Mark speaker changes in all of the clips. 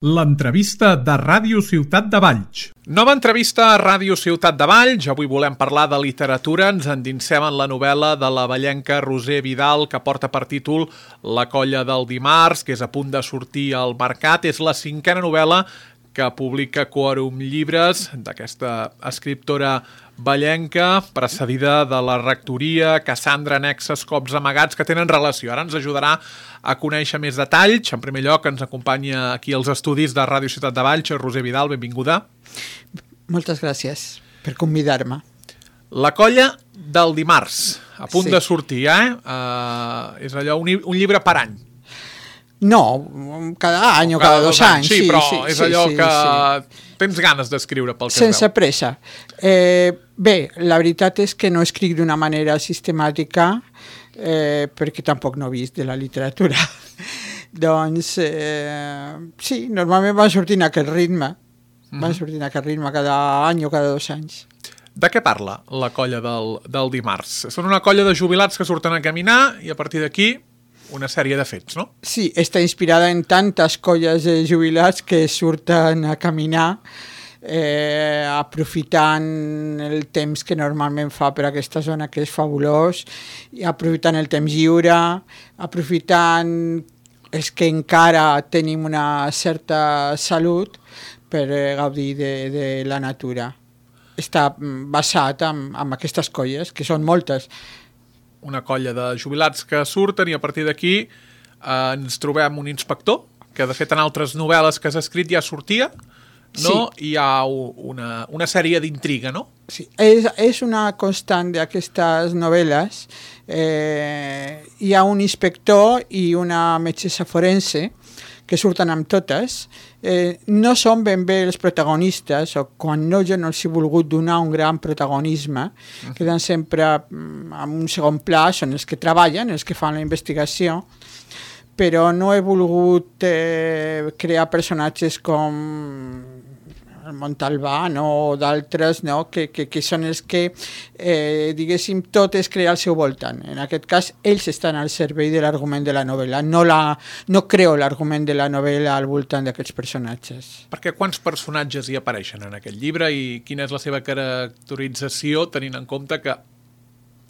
Speaker 1: L'entrevista de Ràdio Ciutat de Valls. Nova entrevista a Ràdio Ciutat de Valls. Avui volem parlar de literatura. Ens endinsem en la novel·la de la vallenca Roser Vidal, que porta per títol La colla del dimarts, que és a punt de sortir al mercat. És la 5a novel·la que publica Quòrum Llibres, d'aquesta escriptora vallenca, precedida de la rectoria, Cassandra, Annexes, Cops amagats, que tenen relació. Ara ens ajudarà a conèixer més detalls. En primer lloc, ens acompanya aquí als estudis de Ràdio Ciutat de Valls, Roser Vidal, benvinguda.
Speaker 2: Moltes gràcies per convidar-me.
Speaker 1: La colla del dimarts, a punt de sortir, és allò, un llibre per any.
Speaker 2: No, cada any o cada dos anys.
Speaker 1: Sí, però és allò que tens ganes d'escriure pel que es veu.
Speaker 2: Sense pressa. Bé, la veritat és que no escric d'una manera sistemàtica perquè tampoc no he vist de la literatura. Doncs, sí, normalment va sortint aquest ritme. Va sortint aquest ritme cada any o cada 2 anys.
Speaker 1: De què parla la colla del dimarts? Són una colla de jubilats que surten a caminar i a partir d'aquí una sèrie de fets, no?
Speaker 2: Sí, està inspirada en tantes colles de jubilats que surten a caminar aprofitant el temps que normalment fa per aquesta zona, que és fabulós, i aprofitant el temps lliure, aprofitant els que encara tenim una certa salut per gaudir de la natura. Està basat en aquestes colles, que són moltes.
Speaker 1: Una colla de jubilats que surten i a partir d'aquí ens trobem un inspector, que de fet en altres novel·les que has escrit ja sortia, no? Sí. Hi ha una sèrie d'intriga, no?
Speaker 2: Sí, és una constant d'aquestes novel·les. Hi ha un inspector i una metgessa forense que surten amb totes. No són ben bé els protagonistes, o quan no, jo no els he volgut donar un gran protagonisme, queden sempre en un segon pla, són els que treballen, els que fan la investigació, però no he volgut crear personatges com el Montalbà, no? O d'altres, no? que són els que, diguéssim, tot es crea al seu voltant. En aquest cas, ells estan al servei de l'argument de la novel·la. No creo l'argument de la novel·la al voltant d'aquests personatges.
Speaker 1: Perquè quants personatges hi apareixen en aquest llibre i quina és la seva caracterització, tenint en compte que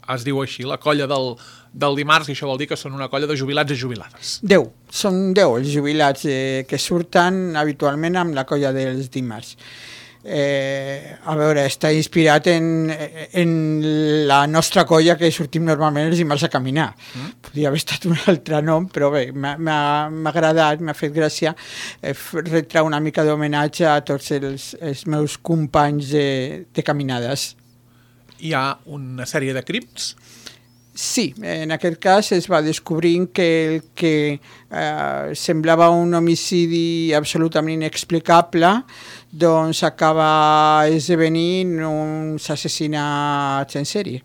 Speaker 1: es diu així, la colla del dimarts, i això vol dir que són una colla de jubilats i jubilades.
Speaker 2: 10, són 10 els jubilats que surten habitualment amb la colla dels dimarts. A veure, està inspirat en la nostra colla que sortim normalment els dimarts a caminar. Podria haver estat un altre nom, però bé, m'ha agradat, m'ha fet gràcia retre una mica d'homenatge a tots els meus companys de caminades.
Speaker 1: Hi ha una sèrie de crims?
Speaker 2: Sí, en aquest cas es va descobrint que el que semblava un homicidi absolutament inexplicable doncs acaba esdevenint uns assassinats en sèrie.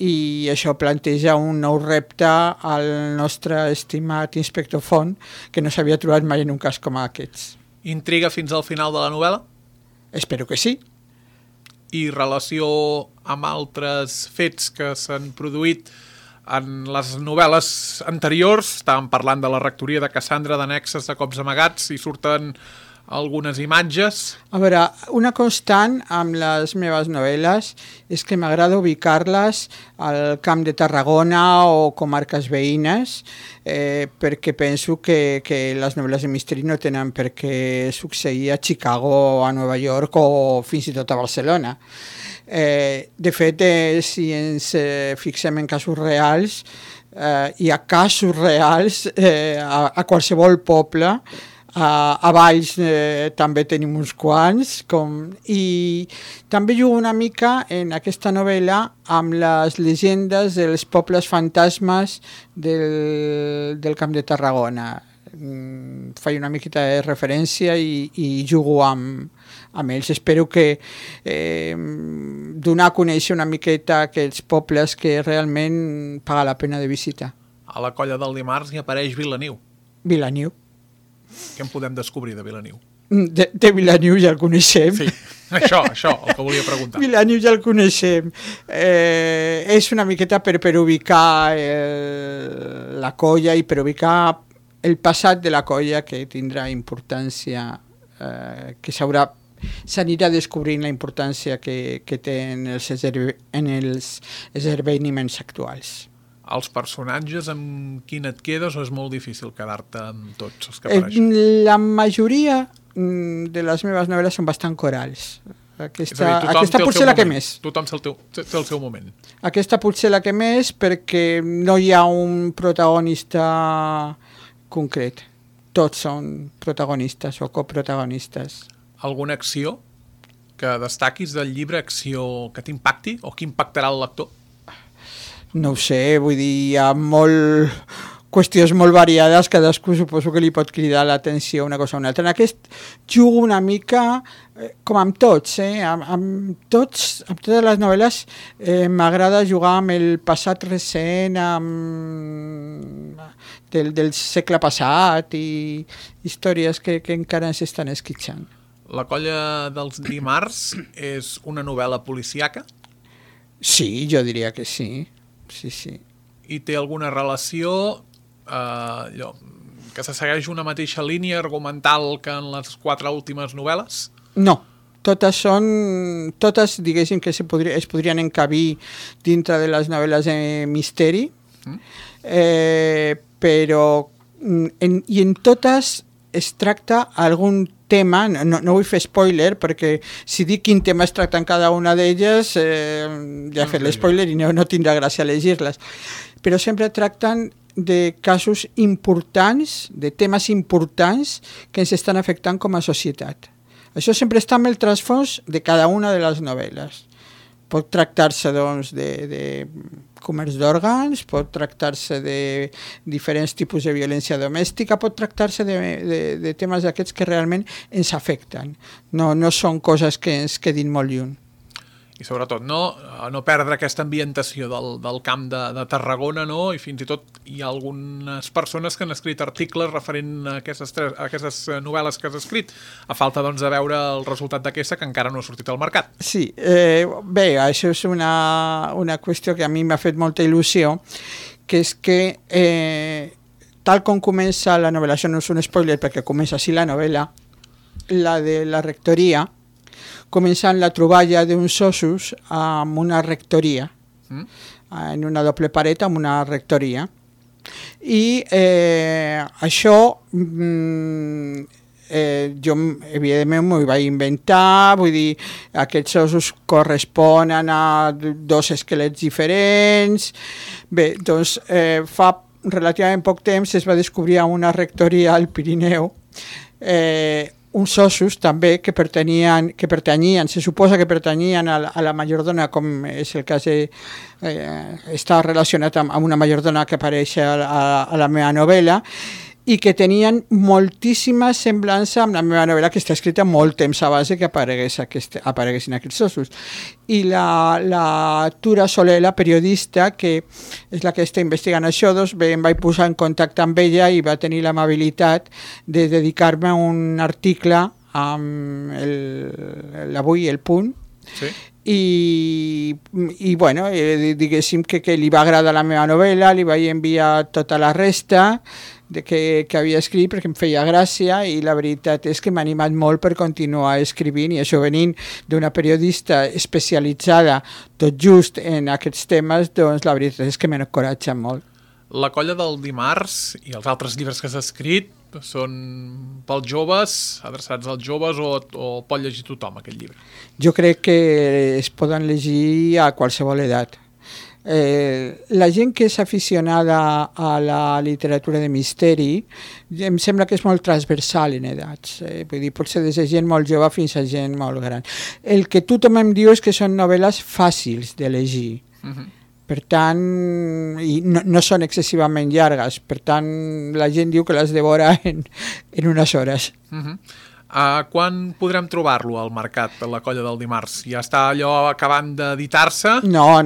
Speaker 2: I això planteja un nou repte al nostre estimat inspector Font, que no s'havia trobat mai en un cas com aquests.
Speaker 1: Intriga fins al final de la novel·la?
Speaker 2: Espero que sí.
Speaker 1: I relació amb altres fets que s'han produït en les novel·les anteriors. Estàvem parlant de la rectoria de Cassandra, d'Annexes, de Cops amagats, i surten algunes imatges.
Speaker 2: A veure, una constant amb les meves novel·les és que m'agrada ubicar-les al Camp de Tarragona o comarques veïnes, perquè penso que les novel·les de misteri no tenen per què succeir a Chicago, a Nova York o fins i tot a Barcelona. De fet, si ens fixem en casos reals, hi ha casos reals a qualsevol poble. A Valls també tenim uns quants, i també jugo una mica en aquesta novel·la amb les llegendes dels pobles fantasmes del Camp de Tarragona. Faig una miqueta de referència i jugo amb ells. Espero que donar a conèixer una miqueta aquests pobles que realment paga la pena de visita.
Speaker 1: A la colla del dimarts hi apareix Vilaniu.
Speaker 2: Vilaniu.
Speaker 1: Què en podem descobrir de Vilaniu?
Speaker 2: De Vilaniu ja el coneixem.
Speaker 1: Sí, això, el que volia preguntar.
Speaker 2: Vilaniu ja el coneixem. És una miqueta per ubicar la colla i per ubicar el passat de la colla, que tindrà importància, que s'anirà descobrint la importància que té en els esdeveniments actuals.
Speaker 1: Els personatges, amb quin et quedes, o és molt difícil quedar-te amb tots els que apareixen?
Speaker 2: La majoria de les meves novel·les són bastant corals. Aquesta potser la que més.
Speaker 1: Tothom té el seu moment.
Speaker 2: Aquesta potser la que més, perquè no hi ha un protagonista concret. Tots són protagonistes o coprotagonistes.
Speaker 1: Alguna acció que destaquis del llibre, acció que t'impacti o que impactarà el lector?
Speaker 2: No ho sé, vull dir, hi ha qüestions molt variades, cadascú suposo que li pot cridar l'atenció una cosa o una altra. En aquest jugo una mica, com amb tots, amb totes les novel·les m'agrada jugar amb el passat recent, del segle passat i històries que encara s'estan esquitxant.
Speaker 1: La colla dels dimarts és una novel·la policíaca?
Speaker 2: Sí, jo diria que sí. Sí.
Speaker 1: I té alguna relació que se segueix una mateixa línia argumental que en les 4 últimes novel·les?
Speaker 2: No, totes diguéssim que es podrien encabir dintre de les novel·les de misteri, però en totes es tracta algun tema, no vull fer spoiler, perquè si dic quin tema es tracta en cada una d'elles, ja he fet l'espoiler i no tindrà gràcia llegir-les. Però sempre tracten de casos importants, de temes importants que ens estan afectant com a societat. Això sempre està en el trasfons de cada una de les novel·les. Pot tractar-se doncs, de comerç d'òrgans, pot tractar-se de diferents tipus de violència domèstica, pot tractar-se de temes d'aquests que realment ens afecten. No són coses que ens quedin molt lluny.
Speaker 1: I sobretot no perdre aquesta ambientació del camp de Tarragona, no? I fins i tot hi ha algunes persones que han escrit articles referent a aquestes novel·les que has escrit, a falta doncs, de veure el resultat d'aquesta que encara no ha sortit al mercat.
Speaker 2: Sí, bé, això és una qüestió que a mi m'ha fet molta il·lusió, que és que tal com comença la novel·la, això no és un spoiler perquè comença així la novel·la, la de la rectoria, començant la troballa d'uns ossos amb una rectoria, en una doble paret amb una rectoria. I això jo evidentment m'ho vaig inventar, vull dir, aquests ossos corresponen a 2 esquelets diferents. Bé, doncs fa relativament poc temps es va descobrir a una rectoria al Pirineu uns ossos també que pertanyien, se suposa que pertanyien a la majordona, com és el cas està relacionat amb una majordona que apareix a la meva novel·la, i que tenien moltíssima semblança amb la meva novel·la, que està escrita molt temps abans que apareguessin aquests ossos. I la Tura Soler, la periodista, que és la que està investigant això, doncs bé, em vaig posar en contacte amb ella i va tenir l'amabilitat de dedicar-me a un article amb l'Avui, El Punt,
Speaker 1: sí.
Speaker 2: I bueno, diguéssim que li va agradar la meva novel·la, li vaig enviar tota la resta que havia escrit perquè em feia gràcia, i la veritat és que m'ha animat molt per continuar escrivint, i això venint d'una periodista especialitzada tot just en aquests temes, doncs la veritat és que m'encoratja molt.
Speaker 1: La colla del dimarts i els altres llibres que has escrit són pels joves, adreçats als joves, o pot llegir tothom aquest llibre?
Speaker 2: Jo crec que es poden llegir a qualsevol edat. La gent que és aficionada a la literatura de misteri em sembla que és molt transversal en edats, vull dir, pot ser des de gent molt jove fins a gent molt gran. El que tothom em diu és que són novel·les fàcils de llegir, per tant, i no són excessivament llargues, per tant la gent diu que les devora en unes hores.
Speaker 1: Quan podrem trobar-lo al mercat, la colla del dimarts? Ja està allò acabant d'editar-se?
Speaker 2: No.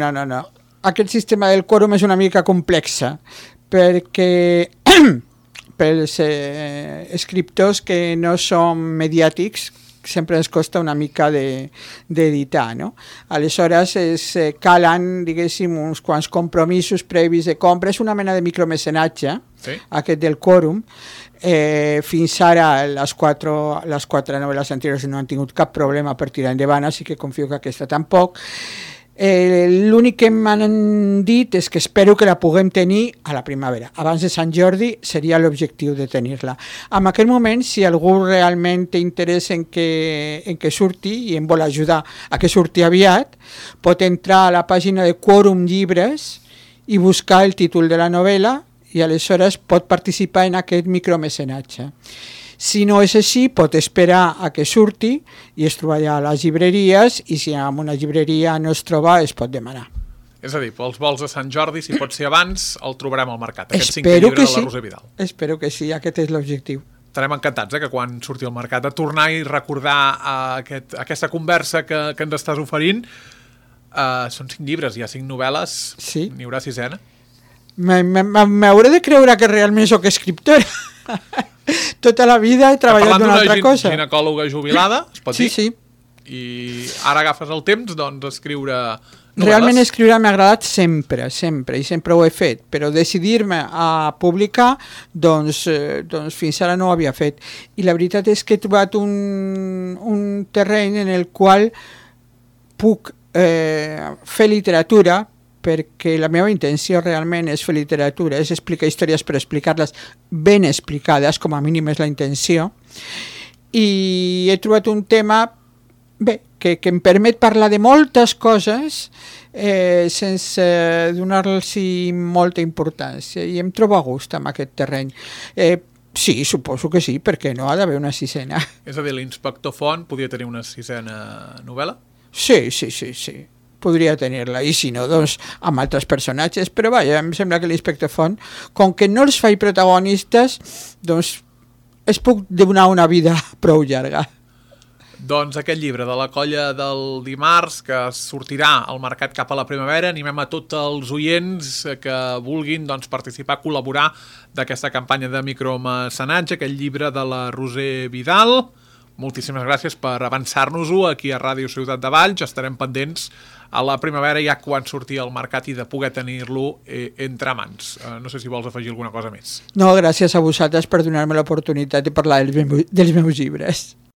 Speaker 2: Aquest sistema del quòrum és una mica complexa, perquè pels escriptors que no són mediàtics, sempre ens costa una mica d'editar, no? Aleshores calen, diguéssim, uns quants compromisos previs de compra, és una mena de micromecenatge, sí, aquest del quòrum. Fins ara les quatre novel·les anteriors no han tingut cap problema per tirar endavant, així que confio que aquesta tampoc. L'únic que m'han dit és que espero que la puguem tenir a la primavera. Abans de Sant Jordi seria l'objectiu de tenir-la. En aquest moment, si algú realment té interès en que surti i em vol ajudar a que surti aviat, pot entrar a la pàgina de Quòrum Llibres i buscar el títol de la novel·la i aleshores pot participar en aquest micromecenatge. Si no és així, pot esperar a que surti i es trobarà a les llibreries, i si en una llibreria no es troba, es pot demanar.
Speaker 1: És a dir, pels vols de Sant Jordi, si pot ser abans, el trobarem al mercat, aquest 5è llibre de la Roser Vidal.
Speaker 2: Espero que sí, aquest és l'objectiu.
Speaker 1: Estarem encantats que quan surti al mercat a tornar i recordar aquesta conversa que ens estàs oferint. Són 5 llibres, hi ha 5 novel·les, sí. N'hi haurà 6ena?
Speaker 2: M'hauré de creure que realment sóc escriptora. Tota la vida he treballat d'una altra cosa.
Speaker 1: Parlant d'una ginecòloga jubilada, es pot dir?
Speaker 2: Sí.
Speaker 1: I ara agafes el temps d'escriure novel·les?
Speaker 2: Realment escriure m'ha agradat sempre, i sempre ho he fet, però decidir-me a publicar, doncs fins ara no ho havia fet. I la veritat és que he trobat un terreny en el qual puc fer literatura, perquè la meva intenció realment és fer literatura, és explicar històries per explicar-les ben explicades, com a mínim és la intenció, i he trobat un tema que em permet parlar de moltes coses sense donar-los molta importància, i em trobo a gust amb aquest terreny. Sí, suposo que sí, perquè no ha d'haver una 6ena.
Speaker 1: És a dir, l'Inspector Font podria tenir una 6ena novel·la?
Speaker 2: Sí. Podria tenir-la, i si no, doncs amb altres personatges, però vaja, em sembla que l'Inspector Font, com que no els faig protagonistes, doncs es puc donar una vida prou llarga.
Speaker 1: Doncs aquest llibre de la Colla del dimarts, que sortirà al mercat cap a la primavera, animem a tots els oients que vulguin participar, col·laborar d'aquesta campanya de micromecenatge, aquest llibre de la Roser Vidal. Moltíssimes gràcies per avançar-nos-ho aquí a Ràdio Ciutat de Valls. Estarem pendents a la primavera ja quan surti al mercat i de poder tenir-lo entre mans. No sé si vols afegir alguna cosa més.
Speaker 2: No, gràcies a vosaltres per donar-me l'oportunitat de parlar dels meus llibres.